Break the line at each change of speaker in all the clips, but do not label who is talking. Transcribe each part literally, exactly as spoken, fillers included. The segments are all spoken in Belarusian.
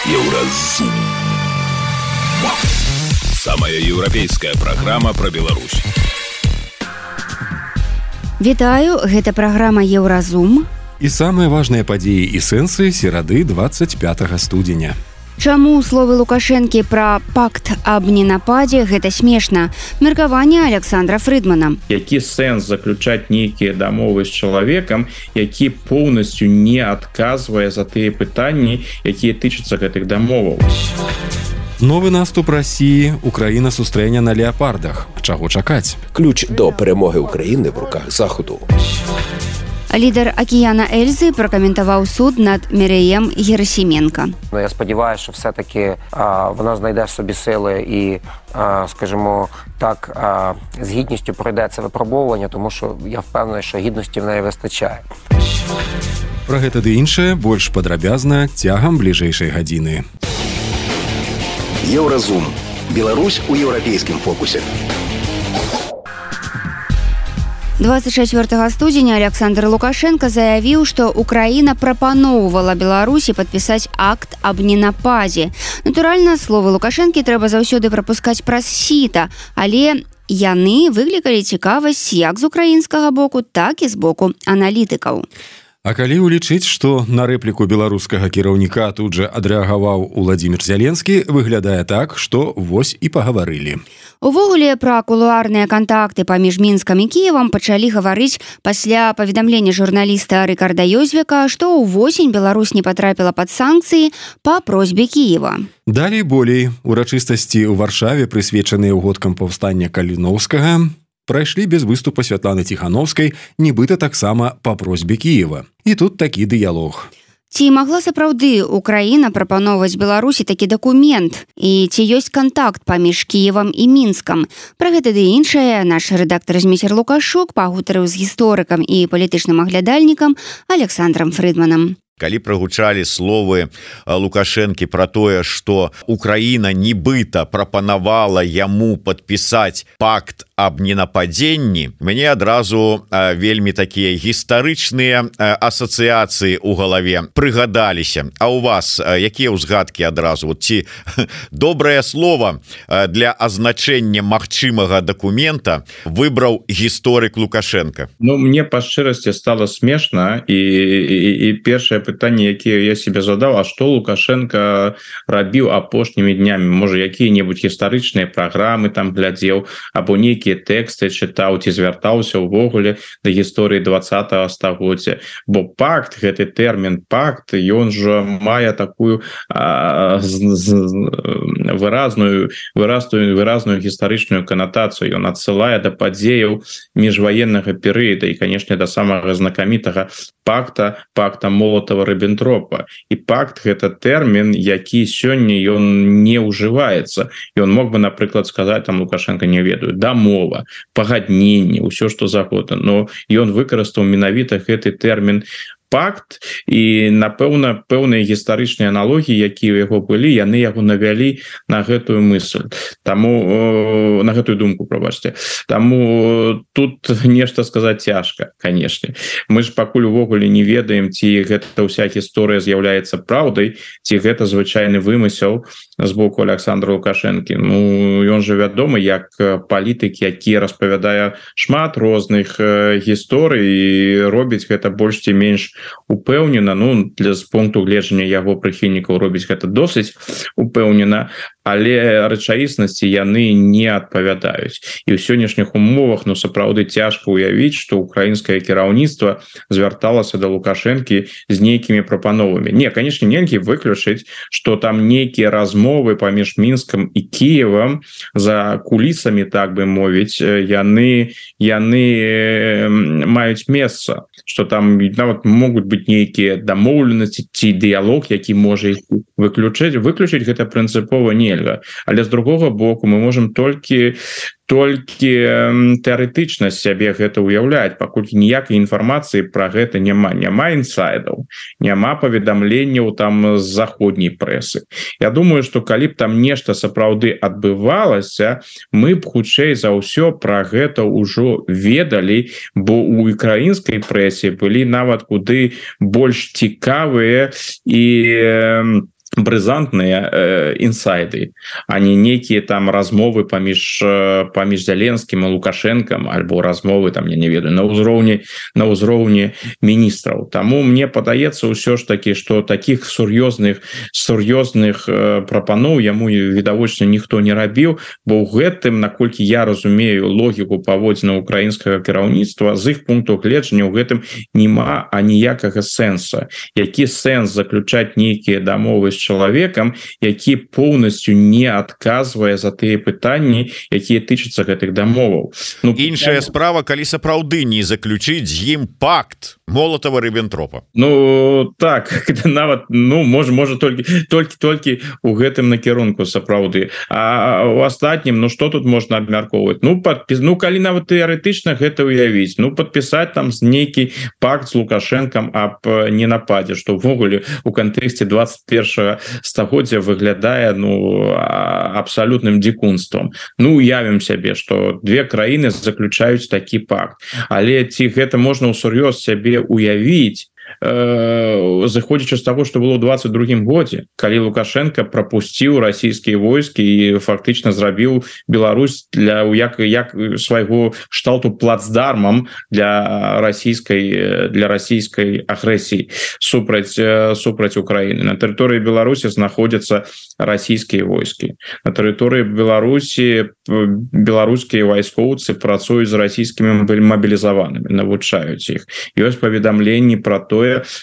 Еўразум. Самая еўрапейская праграма пра Беларусь.
Вітаю, гэта праграма Еўразум.
І самыя важныя падзеі і сэнсы серады двадцать пятага студзеня.
Чаму словы Лукашэнкі пра пакт аб ненападзе гэта смешна? Меркаванне Александра Фрыдмана.
Які сэнс заключаць нейкія дамовы з чалавекам, які поўнасцю не адказвае за тыя пытанні, якія тычацца гэтых дамоваў.
Новы наступ Расіі, Украіна сустрэне на леапардах. Чаго чакаць?
Ключ до перемоги України в руках Заходу.
Лідер Океана Ельзи прокоментував суд над Міреєм Герасименко.
Я сподіваюся, що все-таки а, вона знайде в собі сили і, а, скажімо так, а, з гідністю пройде це випробовування, тому що я впевнений, що гідності в неї вистачає.
Про гэта ды іншае больш падрабязна цягам бліжэйшай гадзіны.
Еўразум. Беларусь у еўрапейскім фокусе.
двадцать чацвёртага студзеня Александр Лукашенко заявіў, што Украіна прапаноўвала Беларусі падпісаць акт аб ненападзе. Натуральна, словы Лукашэнкі трэба заўсёды прапускаць праз сіта, але яны выклікалі цікавасць як з украінскага боку, так і з боку аналітыкаў.
А калі ўлічыць, што на рэпліку беларускага кіраўніка тут жа адрэагаваў Уладзімір Зяленскі, выглядае так, што вось і пагаварылі.
Увогуле, пра кулуарныя кантакты паміж Мінскам і Кіевам пачалі гаварыць пасля паведамлення журналіста Рыкарда Ёзвіка, што ўвосень Беларусь не патрапіла пад санкцыі па просьбе Кіева.
Далей болей. Урачыстасці ў Варшаве, прысвечаныя ўгодкам паўстання Каліноўскага, прайшлі без выступа Святланы Ціхановскай, нібыта таксама па просьбе Кіева. І тут такі дыялог.
Ці магла сапраўды Украіна прапаноўваць Беларусі такі дакумент? І ці ёсць кантакт паміж Кіевам і Мінскам? Пра гэта ды іншае наш рэдактар Зміцер Лукашук пагутарыў з гісторыкам і палітычным аглядальнікам Александрам Фрыдманам.
Калі прагучалі словы Лукашэнкі пра тое, што Украіна нібыта прапанавала яму падпісаць пакт аб ненападзенні, мяне адразу вельмі такія гістарычныя асацыяцыі ў галаве прыгадаліся. А ў вас якія ўзгадкі адразу? Вот ці добрае слова для азначэння магчымага дакумента выбраў гісторык Лукашенко?
Ну, мне па шчырасці стала смешна, і, і, і першае пытанне, якія я себе задаў, а што Лукашенко рабіў апошнімі днямі? Можа, якія-небудзь гістарычныя праграмы там глядзеў, або нейкія тэксты чытаў, ці звяртаўся ўвогуле да гісторыі двадцатага стагоддзя. Бо пакт, гэты тэрмін пакт, ён жа мае такую а, з, з, выразную, выразную, выразную гістарычную канатацыю. Ён адсылае да падзеяў міжваеннага перыяда і, канешне, да самага знакамітага пакта, пакта Молотава-Риббентропа. І пакт — гэта тэрмін, які сёння ён не ўжываецца. Ён мог бы, напрыклад, сказаць там Лукашенко, не ведаю, дамова, пагадненне, ўсё што загодна. Но ён выкарыстаў менавіта гэты тэрмін пакт, і, напэўна, пэўныя гістарычныя аналогіі, якія ў яго былі, яны яго навялі на гэтую мысль. Таму, на гэтую думку, прабачце. Таму тут нешта сказаць цяжка, канешне. Мы ж пакуль увогуле не ведаем, ці гэта ўся гісторыя з'яўляецца праўдай, ці гэта звычайны вымысел з боку Александра Лукашэнкі. Ну, ён жа вядомы як палітык, які распавядае шмат розных гісторый і робіць гэта больш ці менш упэўнена. Ну, для з пункту гледжання яго прыхільнікаў робіць гэта досыць упэўнена, але рэчаіснасці яны не адпавядаюць. І ў сённяшніх умовах, ну, сапраўды цяжка ўявіць, што украінскае кіраўніцтва звярталася да Лукашэнкі з нейкімі прапановамі. Не, канешне, нельга выключыць, што там нейкія размовы паміж Мінскам і Кіевам за кулісамі, так бы мовіць, яны, яны маюць месца, што там нават могуць быць нейкія дамоўленасці ці дыялог, які можа іх выключыць. Выключыць гэта прынцыпова нельга. Але з другога боку мы можем толькі толькі тэарэтычна сябе гэта ўяўляць, паколькі ніякай інфармацыі пра гэта няма. Няма інсайдаў, няма паведамленняў там з заходняй прэсы. Я думаю, што калі б там нешта сапраўды адбывалася, мы б хутчэй за ўсё пра гэта ўжо ведалі, бо ў украінскай прэсе былі нават куды больш цікавыя і брызантныя э, інсайды, а не нейкія там размовы паміж паміж Зеленскім і Лукашенкам альбо размовы там я не ведаю на ўзроўні на ўзроўні міністраў. Таму мне падаецца ўсё ж такі, што таких сур'ёзных сур'ёзных э, прапаноў яму відавочна ніхто не рабіў, бо ў гэтым, наколькі я разумею логіку паводзіна украінскага кіраўніцтва, з іх пункту гледжання ў гэтым няма аніякага сэнса. Які сэнс заключаць нейкія дамовы з чалавекам, які поўнасцю не адказвае за тыя пытанні, якія тычацца гэтых дамоваў.
Ну, іншая справа, калі сапраўды не заключыць з ім пакт Молотава-Риббентропа.
Ну так, нават ну можа можа толькі толькі толькі у гэтым накірунку сапраўды. А у астатнім ну што тут можна абмяркоўваць? Ну падпіс, ну калі нават тэарэтычна гэта ўявіць, ну падпісаць там з нейкі пакт з Лукашэнкам аб ненападзе, што ўвогуле у кантэксце двадцать першага стагоддзя выглядае ну абсалютным дзікунствам. Ну уявім сябе, што две краіны заключаюць такі пакт, але ці гэта можна ўсур'ёз сябе уявіць, заходзячы з таго, што было ў двадцать другім годзе, калі Лукашенко прапусціў расійскія войскі і фактычна зрабіў Беларусь для як як свайго шталту плацдармам для расійскай для расійскай агрэсіі супраць супраць Украіны. На тэрыторыі Беларусі знаходзяцца расійскія войскі. На тэрыторыі Беларусі беларускія вайскоўцы працуюць з расійскімі мабілізаванымі, навучаюць іх. Ёсць паведамленні пра то,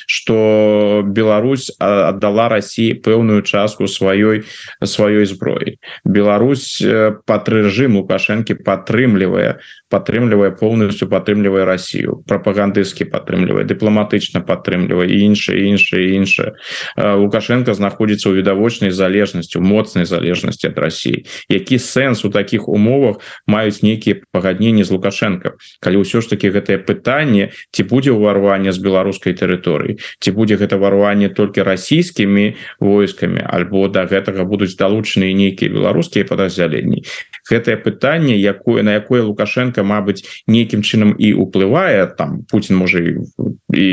что Беларусь отдала России пэўную частку сваёй сваёй зброі. Беларусь под режим Лукашенко падтрымлівае падтрымлівае полностью падтрымлівае Россию, прапагандысцкі падтрымлівае, дыпламатычна падтрымлівае і іншае іншае іншае. Лукашенко знаходзіцца ў відавочнай залежнасці, моцнай залежнасці ад России. Які сэнс у таких умовах маюць нейкія пагадненні з Лукашенко, калі ўсё ж таки гэтае пытанне, ці будзе ўварванне з беларускай тэрыторыі, ці будзе гэта варванне толькі расійскімі войскамі, альбо да гэтага будуць далучаныя нейкія беларускія падраздзяленні. Гэтае пытанне, якое на якое Лукашенко, мабыць, нейкім чынам і ўплывае, там Путін можа і, і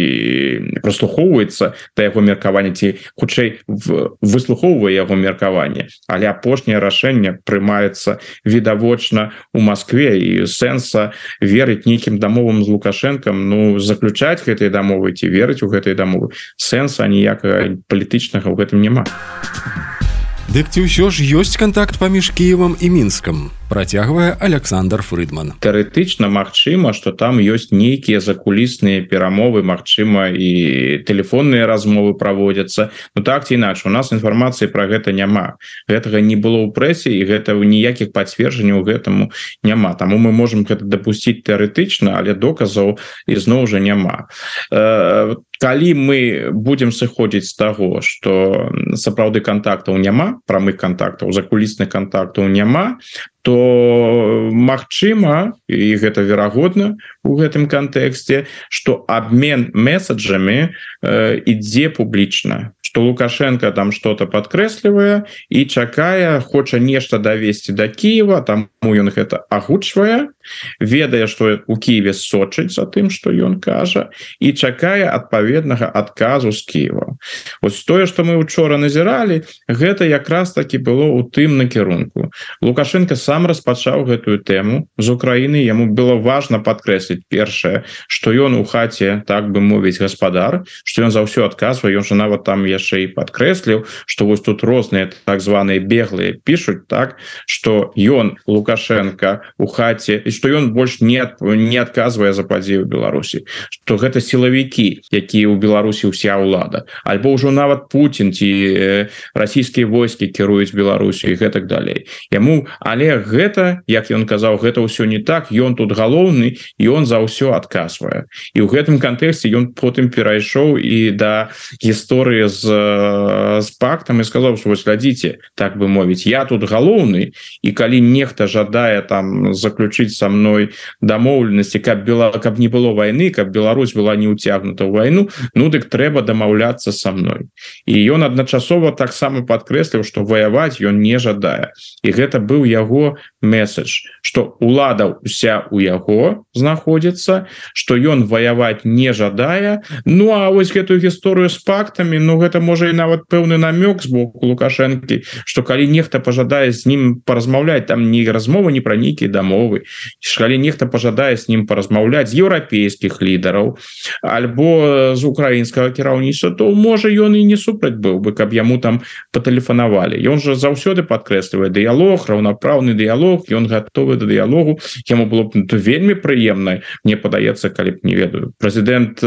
прыслухоўваецца да яго меркавання, ці хутчэй выслухоўвае яго меркаванне, але апошняе рашэнне прымаецца відавочна у Маскве, і сэнса верыць нейкім дамовам з Лукашенкам, ну заключаць гэтыя дамовы ці верыць у гэтыя дамовы, сэнса ніякага палітычнага ў гэтым няма.
Дык ці ўсё ж ёсць кантакт паміж Кіевам і Мінскам, працягвае Александр Фрыдман.
Тэарэтычна магчыма, што там ёсць нейкія закулісныя перамовы, магчыма і тэлефонныя размовы праводзяцца. Ну так ці інакш, у нас інфармацыі пра гэта няма. Гэтага не было ў прэсе і гэта ніякіх пацверджанняў гэтаму няма. Таму мы можам гэта дапусціць тэарэтычна, але доказаў ізноў жа няма. Э, калі мы будзем сыходзіць з таго, што сапраўды кантактаў няма, прамых кантактаў, закулісных кантактаў няма, то магчыма, і гэта верагодна у гэтым кантэксце, што абмен месаджамі э, ідзе публічна, што Лукашенко там что-то падкрэслівае і чакае, хоча нешта давесці да Кіева, таму ён гэта агучвае, ведае, што у Кіеве сочыць за тым, што ён кажа, і чакае адпаведнага адказу з Кіева. Вось тое, што мы учора назіралі, гэта якраз таки было ў тым накірунку. Лукашенко сам распачаў гэтую тэму з Украіны, яму было важна падкрэсліць першае, што ён у хаце, так бы мовіць, гаспадар, што ён за ўсё адказвае, ён жа нават там яшчэ і падкрэсліў, што вось тут розныя так званыя беглыя пішуць так, што ён, Лукашенко, у хаце, і што ён больш не, не адказвае за падзею Беларусі, што гэта сілавікі, якія ў Беларусі ўся ўлада, альбо ўжо нават Путін ці расійскія войскі кіруюць Беларусю і гэтак далей. Яму, але гэта, як ён казаў, гэта ўсё не так, ён тут галоўны і ён за ўсё адказвае. І ў гэтым кантэксце ён потым перайшоў і да гісторыі з, з пактам і сказаў, што вось глядзіце, так бы мовіць, я тут галоўны, і калі нехта жадае там заключыць са мной дамоўленасці, каб, Бела... каб не было вайны, каб Беларусь была не ўцягнута ў вайну, ну дык трэба дамаўляцца са мной. І ён адначасова таксама падкрэсліў, што ваяваць ён не жадае. І гэта быў яго яго месседж, что улада вся у яго знаходзіцца, что ён ваяваць не жадае. Ну а вось гэтую гісторыю з пактамі, ну гэта можа і нават пэўны намёк з боку Лукашэнкі, что калі нехта пожадае з ім паразмаўляць, там не размова не пра нейкія дамовы, калі нехта пожадае з ім паразмаўляць з еўрапейскіх лідараў альбо з украінскага кіраўніцтва, то можа ён і не супраць быў бы, каб яму там патэлефанавалі. Ён жа заўсёды падкрэслівае дыялог, раўнапраўны дыялог, ён гатовы да дыялогу. Яму было б вельмі прыемна, мне падаецца, калі б, не ведаю, прэзідэнт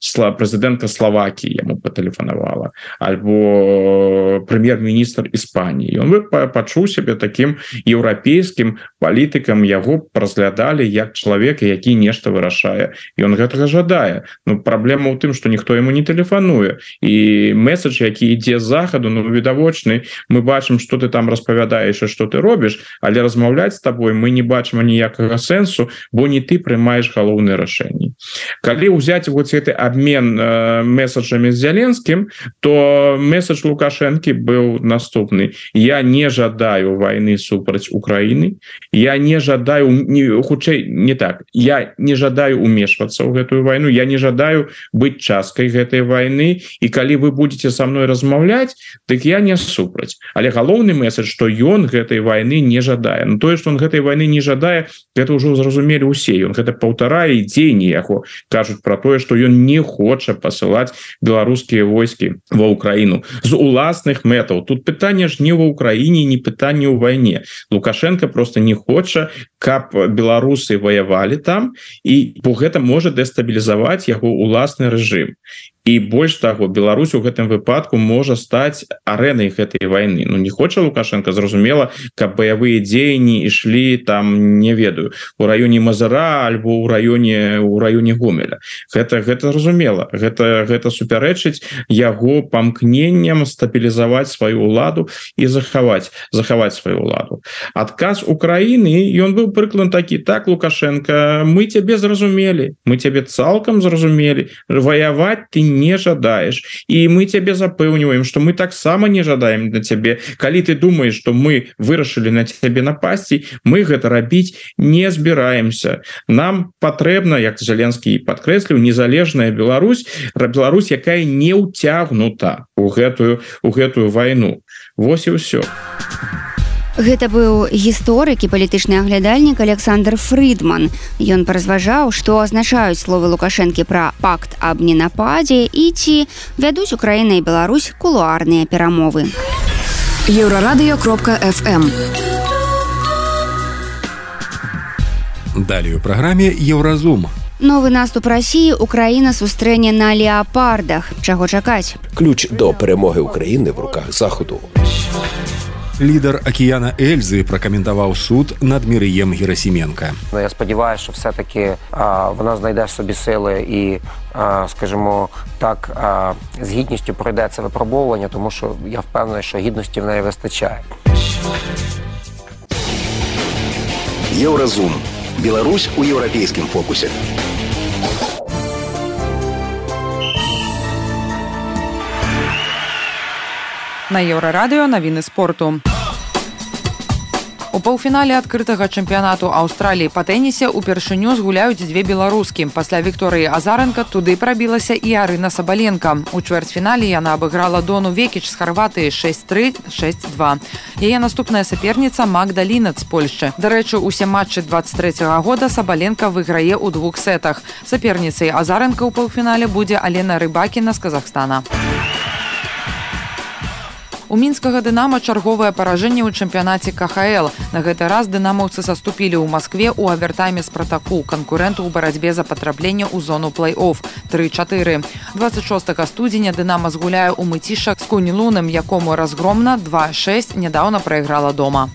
прэзідэнтка Словакіі яму патэлефанавала альбо прэм'ер-міністр Іспаніі. Ён бы пачуў сябе такім еўрапейскім палітыкам, яго разглядалі як чалавека, які нешта вырашае. Ён гэтага жадае. Ну, праблема ў тым, што ніхто яму не тэлефануе. І месседж, які ідзе з захаду, ну, відавочны, мы бачым, што ты там распавядаеш і што ты робіш, але размаўляць з табой мы не бачым ніякага сэнсу, бо не ты прымаеш галоўныя рашэнні. Калі ўзяць вот гэты абмен э, месседжамі з Зеленскім, то месседж Лукашэнкі быў наступны. Я не жадаю вайны супраць Украіны, я не жадаю, не, хутчэй не так, я не жадаю умешвацца ў гэтую вайну, я не жадаю быць часткай гэтай вайны, і калі вы будете со мной размаўляць, дык я не супраць. Але галоўны месседж, што ён гэтай вайны не жадае. Ну тое, што он гэтай вайны не жадае, гэта ўжо зразумелі ўсе. Ён гэта паўтарае, і дзеянні яго кажуць пра тое, што ён не хоча пасылаць беларускія войскі ва Украіну з уласных мэтаў. Тут пытанне ж не ва Украіне, не пытанне ў вайне. Лукашенко просто не хоча, каб беларусы ваявалі там, і бо гэта можа дэстабілізаваць яго уласны рэжым. І больш таго, Беларусь у гэтым выпадку можа стаць арэнай гэтай вайны. Ну не хоча Лукашенко, зразумела, каб баявыя дзеянні ішлі там, не ведаю, у раёне Мазыра альбо ў раёне у раёне Гомеля. Гэта гэта зразумела. Гэта гэта супярэчыць яго памкненням стабілізаваць сваю ўладу і захаваць захаваць сваю ўладу. Адказ Украіны, ён быў прыклад такі: так, Лукашенко, мы цябе зразумелі, мы цябе цалкам зразумелі, ваяваць ты не жадаеш, і мы цябе запэўніваем, што мы таксама не жадаем на цябе. Калі ты думаеш, што мы вырашылі на цябе напасці, мы гэта рабіць не збіраемся. Нам патрэбна, як Зеленскі падкрэсліў, незалежная Беларусь, Беларусь, якая не ўцягнута у гэтую у гэтую вайну. Вось і ўсё.
Гэта быў гісторык і палітычны аглядальнік Александр Фрыдман. Ён паразважаў, што азначаюць словы Лукашэнкі пра пакт аб ненападзе і ці вядуць Украіна і Беларусь кулуарныя перамовы.
Еўрарадыё кропка эф эм.
Далей у праграме Еўразум.
Новы наступ Расіі Украіна сустрэне на леапардах. Чаго чакаць?
Ключ до перемоги України в руках Заходу.
Лідер Океана Ельзи прокоментував суд над Мірієм Герасименко.
Ну, я сподіваюся, що все-таки а, вона знайде собі сили і, а, скажімо так, а, з гідністю пройде це випробовування, тому що я впевнений, що гідності в неї вистачає.
Євразум. Білорусь у європейському фокусі.
На Еўрарадыё навіны спорту. У паўфінале адкрытага чэмпіянату Аўстраліі па тэнісе упершыню згуляюць дзве беларускі. Пасля Вікторыі Азарэнка туды прабілася і Арына Сабаленка. У чвэрцьфінале яна абыграла Дону Векіч з Харватыі шэсць тры - шэсць два. Яе наступная саперніца Магда Лінат з Польшчы. Дарэчы, усе матчы дваццаць трэцяга года Сабаленка выйграе ў двух сетах. Саперніцай Азарэнка ў паўфінале будзе Алена Рыбакіна з Казахстана. У мінскага «Дынама» чарговае паражэнне ў чэмпіянаце ка ха эл. На гэты раз дынамаўцы саступілі ў Маскве ў авертайме «Спартаку», канкурэнту ў барацьбе за патрапленне ў зону плэй-офф тры чатыры. дваццаць шостага студзеня «Дынама» згуляе ў Мыціша з Кунілунам, якому разгромна два шэсць нядаўна прайграла дома.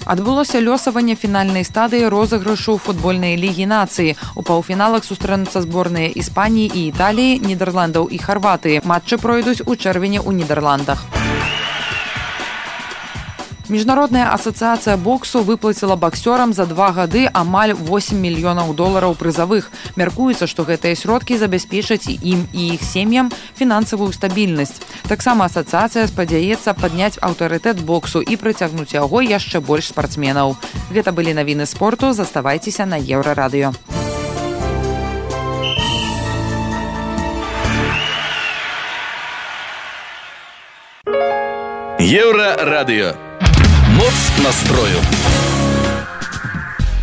Адбылося лёсаванне фінальнай стадыі розыгрышу футбольнай лігі нацыі. У паўфіналах сустрэнуцца зборныя Іспаніі і Італіі, Нідерландаў і Харватыі. Матчы пройдуць у чэрвені ў Нідерландах. Міжнародная асацыяцыя боксу выплаціла боксёрам за два гады амаль восемь мільёнаў долараў прызавых. Мяркуецца, што гэтыя сродкі забяспечаць ім і іх сем'ям фінансавую стабільнасць. Таксама асацыяцыя спадзяецца падняць аўтарытэт боксу і прыцягнуць яго яшчэ больш спартсменаў. Гэта былі навіны спорту. Заставайцеся на Еўрарадыё.
Еўрарадыё. Моц настрою.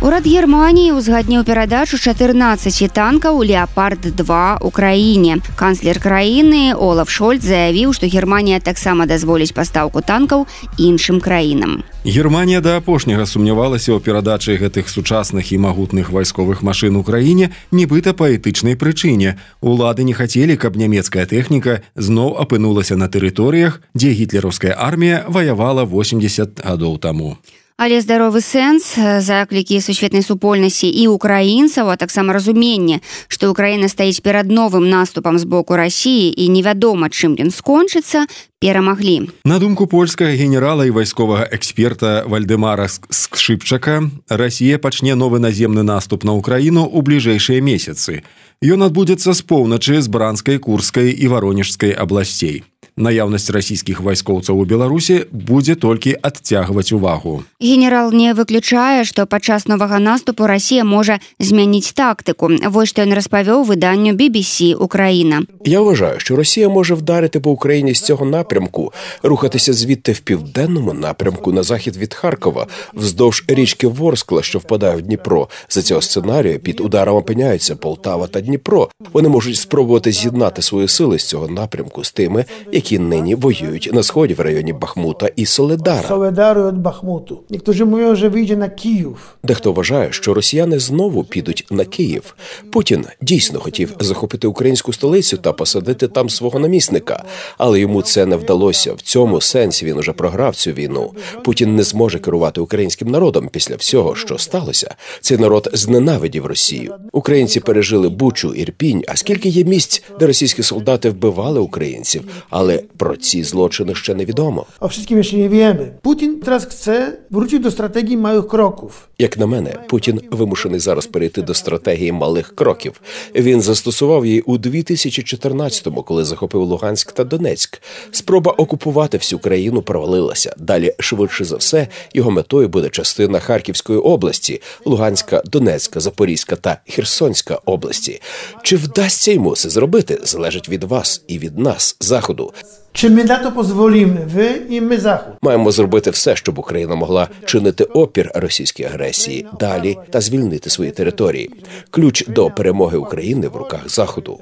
Урад Германії узгадніў перадачу чатырнаццаці танкаў «Леопард-два» Украіне. Канцлер краіны Олаф Шольц заявіў, што Германія таксама дазволіць пастаўку танкаў іншым краінам.
Германія да апошняга сумнявалася ў перадачы гэтых сучасных і магутных вайсковых машын Украіне нібыта па этычнай прычыне. Улады не хацелі, каб нямецкая тэхніка зноў апынулася на тэрыторыях, дзе гітлераўская армія ваявала восемьдесят гадоў таму.
Але здаровы сэнс, заклікі сусветнай супольнасці і украінцаў, а таксама разуменне, што Украіна стаіць перад новым наступам з боку Расіі і невядома, чым ён скончыцца, перамаглі.
На думку польскага генерала і вайсковага эксперта Вальдэмара Скшыпчака, Расія пачне новы наземны наступ на Украіну ў бліжэйшыя месяцы. Ён адбудзецца з поўначы, з Бранскай, Курскай і Варонежскай абласцей. Наяўнасць расійскіх вайскоўцаў у Беларусі будзе толькі адцягваць увагу.
Генерал не выключае, што падчас новага наступу Расія можа змяніць тактику. Вось што ён распавёў виданню бі бі сі «Україна».
Я вважаю, що Росія може вдарити по Україні з цього напрямку, рухатися звідти в південному напрямку на захід від Харкова, вздовж річки Ворскла, що впадає в Дніпро. За цього сценарію під ударом опиняються Полтава та Дніпро. Вони можуть спробувати з'єднати свої сили з цього напрямку з тими, які нині воюють на сході в районі Бахмута і Соледара.
Соледару від Бахмуту. Niektórzy mówią, że wyjdzie na Kijów.
Дехто вважає, що росіяни знову підуть на Київ. Путін дійсно хотів захопити українську столицю та посадити там свого намісника. Але йому це не вдалося. В цьому сенсі він уже програв цю війну. Путін не зможе керувати українським народом після всього, що сталося. Цей народ зненавидів Росію. Українці пережили Бучу, Ірпінь, а скільки є місць, де російські солдати вбивали українців. Але про ці злочини ще невідомо.
O wszystkim jeszcze nie wiemy. Putin teraz chce wrócić do strategii małych kroków.
Як на мене, Путін вимушений зараз перейти до стратегії малих кроків. Він застосував її у дві тисячі чотирнадцятому, коли захопив Луганськ та Донецьк. Спроба окупувати всю країну провалилася. Далі, швидше за все, його метою буде частина Харківської області, Луганська, Донецька, Запорізька та Херсонська області. Чи вдасться йому це зробити, залежить від вас і від нас, Заходу.
Czy my na to pozwolimy, wy i my Zachód?
Маємо зробити все, щоб Україна могла чинити опір російській агресії далі та звільнити свої території. Ключ до перемоги України в руках Заходу.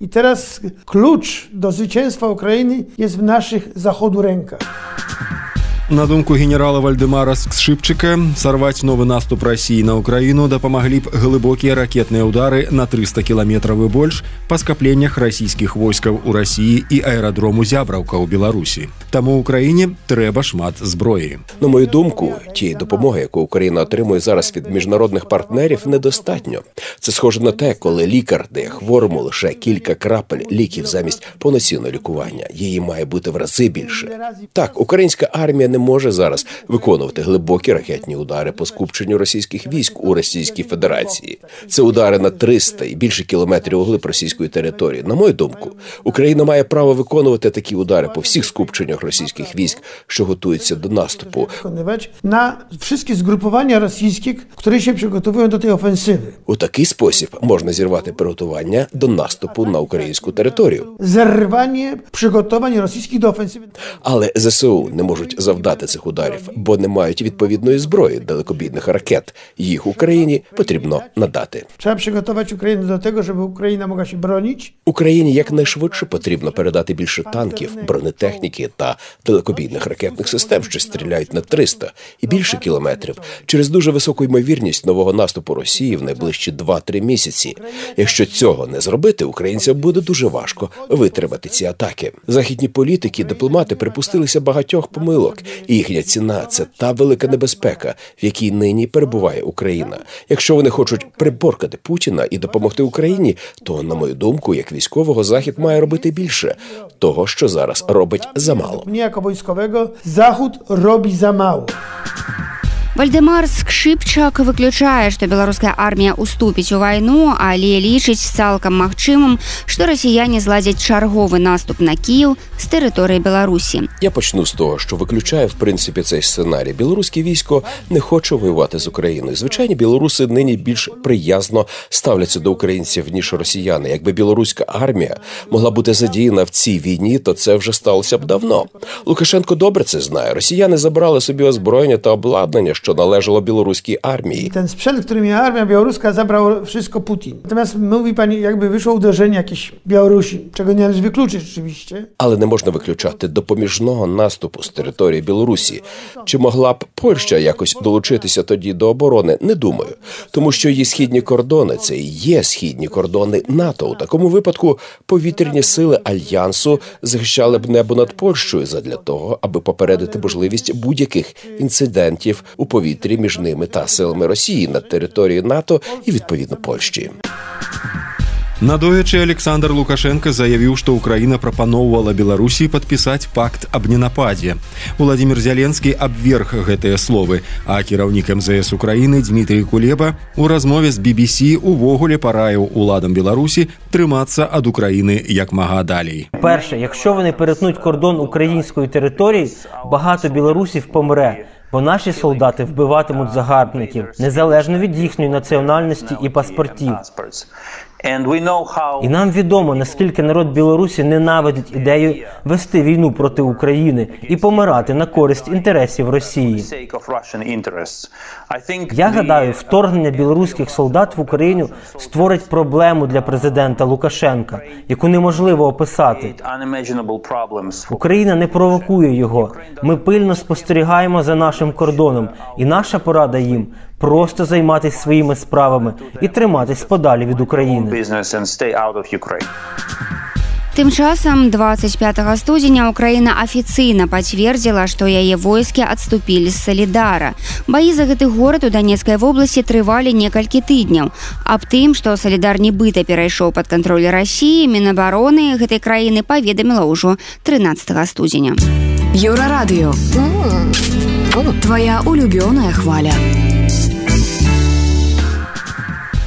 I teraz klucz do zwycięstwa Ukrainy jest w naszych Zachodu rękach.
На думку генерала Вальдэмара Скшыпчыка, сарваць новы наступ Расіі на Украіну дапамаглі б глыбокія ракетныя ўдары на трыста кіламетраў і больш па скапленнях расійскіх войскаў у Расіі і аэрадрому Зябраўка ў Беларусі. Таму Україні трэба шмат зброі.
На мою думку, тієї допомоги, яку Україна отримує зараз від міжнародних партнерів, недостатньо. Це схоже на те, коли лікар дає хворому лише кілька крапель ліків замість повноцінного лікування. Її має бути в рази більше. Так, українська армія не може зараз виконувати глибокі ракетні удари по скупченню російських військ у Російській Федерації. Це удари на триста і більше кілометрів углиб російської території. На мою думку, Україна має право виконувати такі удари по всіх скупченнях російських військ, що готуються до наступу.
На всі згрупування російських, які ще підготовують до тієї офенсиви.
У такий спосіб можна зірвати приготування до наступу на українську територію.
Зірвання приготувань російських до офенсиви.
Але ЗСУ не можуть завдати цих ударів, бо не мають відповідної зброї далекобійних ракет. Їх Україні потрібно надати.
Треба підготувати Україну до того, щоб Україна могла себе бронити.
Україні якнайшвидше потрібно передати більше танків, бронетехніки та далекобійних ракетних систем, що стріляють на триста і більше кілометрів, через дуже високу ймовірність нового наступу Росії в найближчі два-три місяці. Якщо цього не зробити, українцям буде дуже важко витримати ці атаки. Західні політики і дипломати припустилися багатьох помилок, І їхня ціна – це та велика небезпека, в якій нині перебуває Україна. Якщо вони хочуть приборкати Путіна і допомогти Україні, то, на мою думку, як військового, Захід має робити більше того, що зараз робить замало.
Мені, як військового, Захід робить замало.
Вальдемар Скшипчак выключае, што беларуская армія уступіць у вайну, але лічыць цалкам магчымым, што расіяне зладзяць чарговы наступ на Кіїв з тэрыторыі Беларусі.
Я почну з того, що виключає, в принципі, цей сценарій. Білоруське військо не хоче воювати з Україною. Звичайні білоруси нині більш приязно ставляться до українців, ніж росіяни. Якби білоруська армія могла бути задіяна в цій війні, то це вже сталося б давно. Лукашенко добре це знає. Росіяни забрали собі озброєння та обладнання, що належало білоруській армії.
Ten sprzęt, który miała armia białoruska, zabrał wszystko Putin. Natomiast mówi pani, jakby wyszło uderzenie jakieś Białorusi, czego nie należy wykluczyć rzeczywiście.
Але не можна виключати допоміжного наступу з території Білорусі. Чи могла б Польща якось долучитися тоді до оборони? Не думаю. Тому що її східні кордони – це і є східні кордони НАТО. У такому випадку повітряні сили Альянсу захищали б небо над Польщею задля того, аби попередити можливість будь-яких інцидентів у повітрі між ними та силами Росії на території НАТО і, відповідно, Польщі.
Надоячы Александр Лукашенко заявіў, што Украіна прапаноўвала Беларусі падпісаць пакт аб ненападзе. Владимир Зеленскі абверг гэтыя словы, а кіраўнік эм зэ эс Украіны Дмітрий Кулеба у размове з би би сі увогуле параіў уладам Беларусі трымацца ад Украіны як мага далей.
Перше, якщо вони перетнуть кордон української території, багато білорусів помре. Бо наші солдати вбиватимуть загарбників, незалежно від їхньої національності і паспортів. І нам відомо, наскільки народ Білорусі ненавидить ідею вести війну проти України і помирати на користь інтересів Росії. Я гадаю, вторгнення білоруських солдат в Україну створить проблему для президента Лукашенка, яку неможливо описати. Україна не провокує його. Ми пильно спостерігаємо за нашим кордоном, і наша порада їм – просто займатися своїми справами і триматись подалі від України.
Тым часам двадцать пятага студзеня Украіна афіцыйна пацвердзіла, што яе войскі адступілі з Салідара. Баі за гэты горад у Донецкай вобласці трывалі некалькі тыдняў. Аб тым, што Салідар нібыта перайшоў пад кантроль Расіі, Мінабароны гэтай краіны паведаміла ўжо трынаццатага студзеня.
Еўрарадыё. Твоя улюбёная хваля.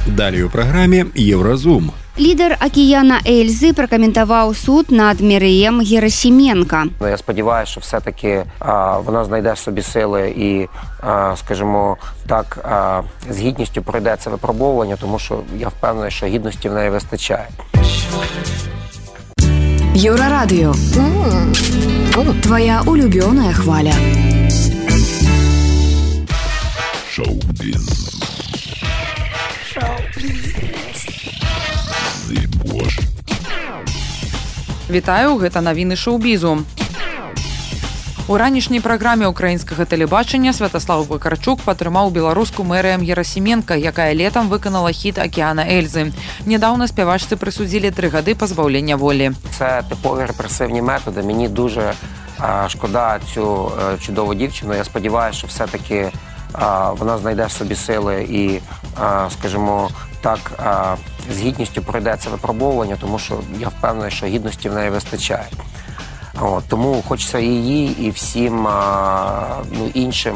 Далее у праграме Евразум.
Лідар Акіяна Ельзи прокоментував суд над Міреєм Герасименко.
Я сподіваюся, що все-таки а, вона знайде собі сили і, а, скажімо так, а, з гідністю пройде це випробовування, тому що я впевнений, що гідності в неї вистачає.
Єврорадіо. Твоя улюбленая хваля.
Шоу-біз.
Вітаю, гэта навіны шоу-бізу. У ранішняй праграме украінскага тэлебачання Святаслав Вакарчук падтрымаў беларуску Міреем Герасименко, якая летам выканала хіт Акіяна Ельзи. Недавно спявачцы присудзілі три гады пазбаўлення волі.
Це типові репресивні методи. Мені дуже а, шкода цю а, чудову дівчину. Я сподіваюся, що все-таки а, вона знайде собі сили і, а, скажімо так, а, з гідністю пройде це випробовування, тому що я впевнений, що гідності в неї вистачає. От, тому хочеться її і всім а, ну, іншим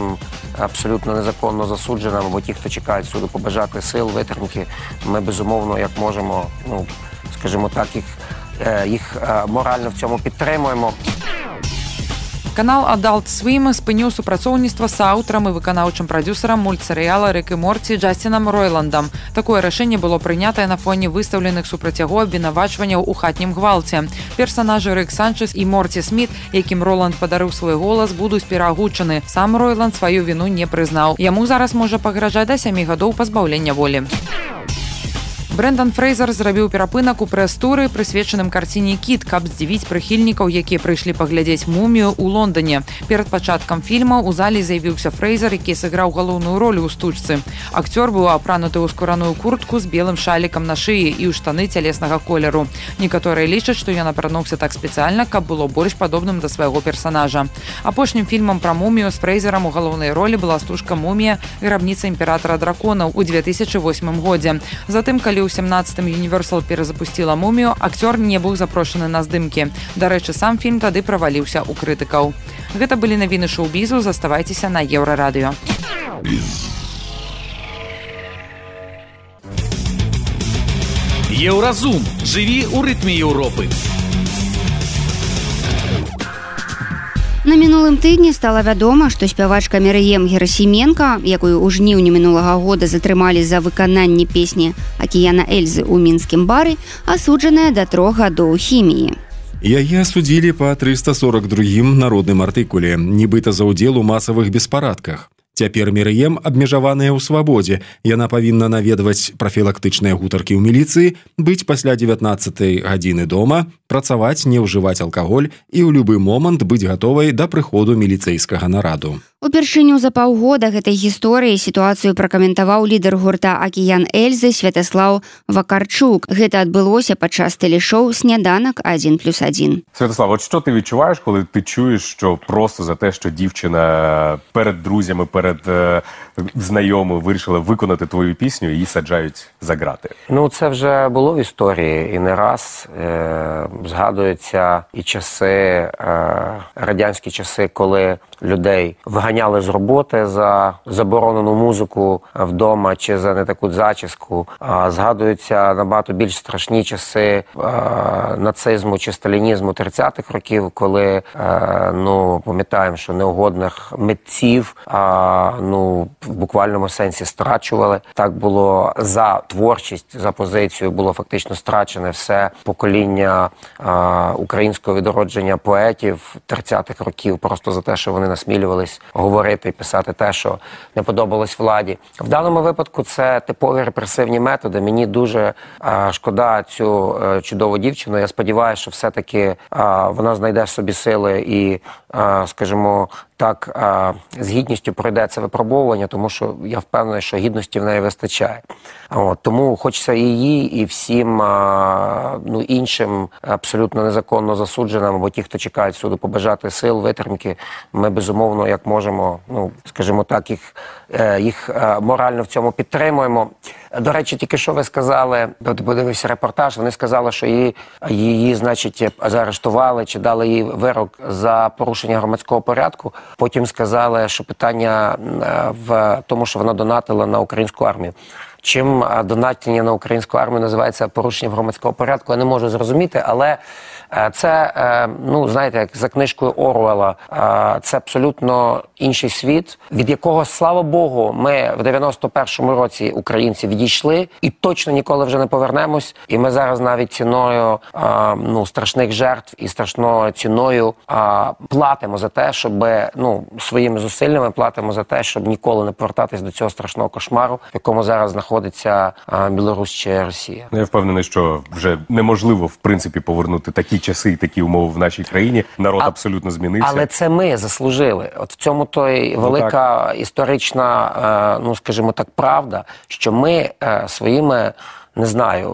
абсолютно незаконно засудженим, або ті, хто чекають суду, побажати сил, витримки. Ми, безумовно, як можемо, ну, скажімо так, їх, їх морально в цьому підтримуємо.
Канал Adult Swim спыніў супрацоўніцтва з аўтарам і выканаўчым прадзюсарам мультсерыяла «Рик и Морти» Джастинам Ройландам. Такое рашэнне было прынятае на фоне выстаўленых супраць яго абвінавачванняў у хатнім гвалце. Персанажы Рик Санчес і Морти Сміт, якім Роланд падарыў свой голас, будуць пераагучаны. Сам Ройланд сваю віну не прызнаў. Яму зараз можа пагражаць да сямі гадоў пазбаўлення волі. Брэндан Фрэйзер зрабіў перапынак у прэс-туры, прысвечаным карціне «Кіт», каб здзівіць прыхільнікаў, якія прыйшлі паглядзець «Мумію» ў Лондоне. Перад пачаткам фільма ў зале з'явіўся Фрэйзер, які сыграў галоўную роль у стужцы. Акцёр быў апрануты ў скураную куртку з белым шалікам на шыі і ў штаны цялеснага колеру. Некаторыя лічаць, што ён апрануўся так спецыяльна, каб было больш падобным да свайго персанажа. Апошнім фільмам пра «Мумію» з Фрэйзерам у галоўнай ролі была стужка «Мумія. Грабніца імператара драконаў» у две тысячы восьмым годзе. Затым, калі ў сямнаццатым Universal перазапусціла «Мумію», акцёр не быў запрошаны на здымкі. Дарэчы, сам фільм тады праваліўся ў крытыкаў. Гэта былі навіны шоу-бізу, заставайцеся на Еўрарадыё.
Еўразум. Жыві ў рытме Еўропы.
На мінулым тыдні стала вядома, што спявачка Мір'ем Герасіменка, якую ў жніўні мінулага года затрымалі за выкананне песні «Акіяна Эльзы» ў мінскім бары, асуджаная да трох гадоў хіміі.
Яе асудзілі па трыста сорок другім народным артыкуле, нібыта за ўдзел у масавых беспарадках. Цяпер Мір'ем абмежаваная ў свабодзе. Яна павінна наведваць прафілактычныя гутаркі ў міліцыі, быць пасля дзевятнаццатай гадзіны дома, працаваць, не ўжываць алкаголь і ў любы момант быць гатовай да прыходу міліцэйскага нараду.
Упершыню за паўгода гэтай гісторыі сітуацыю пракаментаваў лідар гурта «Акіян Эльзы» Святаслаў Вакарчук. Гэта адбылося падчас телешоу «Сняданок один плюс один».
Святослав, от що ти відчуваєш, коли ти чуєш, що просто за те, що дівчина перед друзями, перед е, знайомими вирішила виконати твою пісню, її саджають за грати?
Ну, це вже було в історії і не раз. Е, згадуються і часи, е, радянські часи, коли людей виганяли з роботи за заборонену музику вдома чи за не таку зачіску. А згадуються набагато більш страшні часи а, нацизму чи сталінізму тридцятих років, коли, а, ну, пам'ятаємо, що неугодних митців, а, ну, в буквальному сенсі страчували. Так було за творчість, за позицію було фактично страчене все покоління а, українського відродження поетів тридцятих років, просто за те, що вони насмілювались говорити і писати те, що не подобалось владі. В даному випадку це типові репресивні методи. Мені дуже а, шкода цю а, чудову дівчину. Я сподіваюся, що все-таки а, вона знайде собі сили і, а, скажімо, так а, з гідністю пройде це випробовування, тому що я впевнений, що гідності в неї вистачає. От, тому хочеться і їй, і всім а, ну, іншим абсолютно незаконно засудженим, або ті, хто чекають суду, побажати сил, витримки. Ми, безумовно, як можемо, ну, скажімо так, їх, їх морально в цьому підтримуємо. До речі, тільки що ви сказали, подивився репортаж, вони сказали, що її, її, значить, заарештували чи дали їй вирок за порушення громадського порядку. Потім сказали, що питання в тому, що вона донатила на українську армію. Чим донатіння на українську армію називається порушенням громадського порядку, я не можу зрозуміти, але це, ну, знаєте, як за книжкою Оруелла, це абсолютно інший світ, від якого, слава Богу, ми в дев'яносто першому році, українці, відійшли і точно ніколи вже не повернемось. І ми зараз навіть ціною, ну, страшних жертв і страшною ціною платимо за те, щоб, ну, своїми зусиллями платимо за те, щоб ніколи не повертатись до цього страшного кошмару, в якому зараз знаходиться Білорусь чи Росія.
Я впевнений, що вже неможливо, в принципі, повернути такі часи і такі умови в нашій країні. Народ а, абсолютно змінився. Але
це ми заслужили. От в цьому то й велика ну, історична, ну, скажімо так, правда, що ми своїми, не знаю,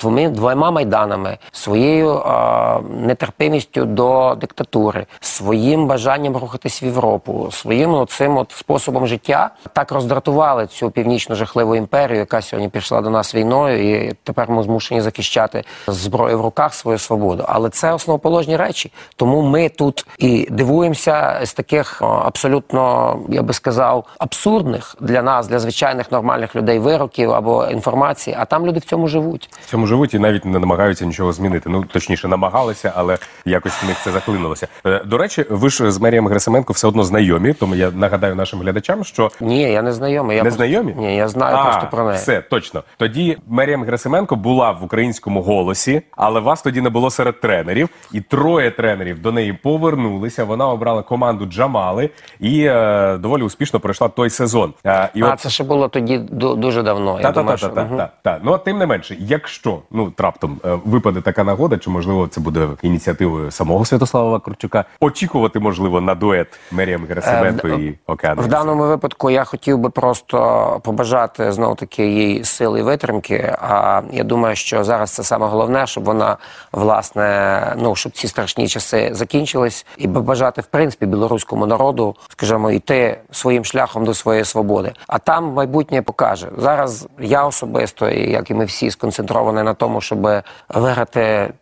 двома, двома майданами, своєю а, нетерпимістю до диктатури, своїм бажанням рухатись в Європу, своїм цим от способом життя так роздратували цю північну жахливу імперію, яка сьогодні пішла до нас війною, і тепер ми змушені захищати зброю в руках свою свободу. Але це основоположні речі. Тому ми тут і дивуємося з таких абсолютно, я би сказав, абсурдних для нас, для звичайних нормальних людей вироків або інформації, а там люди в цьому живуть.
В цьому живуть і навіть не намагаються нічого змінити. Ну, точніше, намагалися, але якось в них це заклинулося. До речі, ви ж з Мір'єм Герасименко все одно знайомі, тому я нагадаю нашим глядачам, що...
Ні, я не знайомий. Я
не
просто...
знайомі?
Ні, я знаю
а,
просто про неї.
Все, точно. Тоді Мір'єм Герасименко була в українському «Голосі», але вас тоді не було серед тренерів, і троє тренерів до неї повернулися, вона обрала команду Джамали і е, доволі успішно пройшла той сезон.
Е, і а, от... це ще було тоді дуже давно.
Та-та-та-та-та. Ну, а тим не менше, якщо, ну, раптом випаде така нагода, чи, можливо, це буде ініціативою самого Святослава Вакарчука, очікувати, можливо, на дует Меріам Герасименко е, і Океан Ельзи?
В даному випадку я хотів би просто побажати, знов-таки, їй сили і витримки, а я думаю, що зараз це саме головне, щоб вона, власне, ну, щоб ці страшні часи закінчились, і побажати, в принципі, білоруському народу, скажімо, йти своїм шляхом до своєї свободи. А там майбутнє покаже. Зараз я особисто, і як і ми всі, сконцентровані на тому, щоб виграти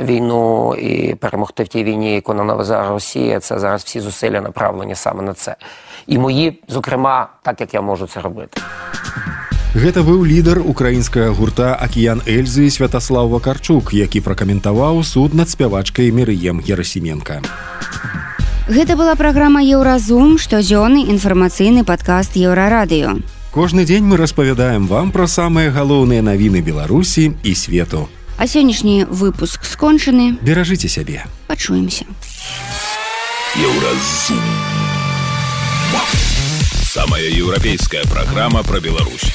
війну і перемогти в тій війні, яку нам навезе Росія. Це зараз всі зусилля направлені саме на це. І мої, зокрема, так, як я можу це робити.
Гэта быў лідар украінскага гурта «Акіян Эльзы» Святаслав Вакарчук, які пракаментаваў суд над спявачкай Мерыем Герасименко.
Гэта была праграма «Еўразум», штодзённы інфармацыйны падкаст «Еўрарадыё».
Кожны дзень мы распавядаем вам пра самыя галоўныя навіны Беларусі і свету.
А сённяшні выпуск скончаны.
Беражыце сябе.
Пачуемся.
Еўразум. Самая еўрапейская праграма пра Беларусь.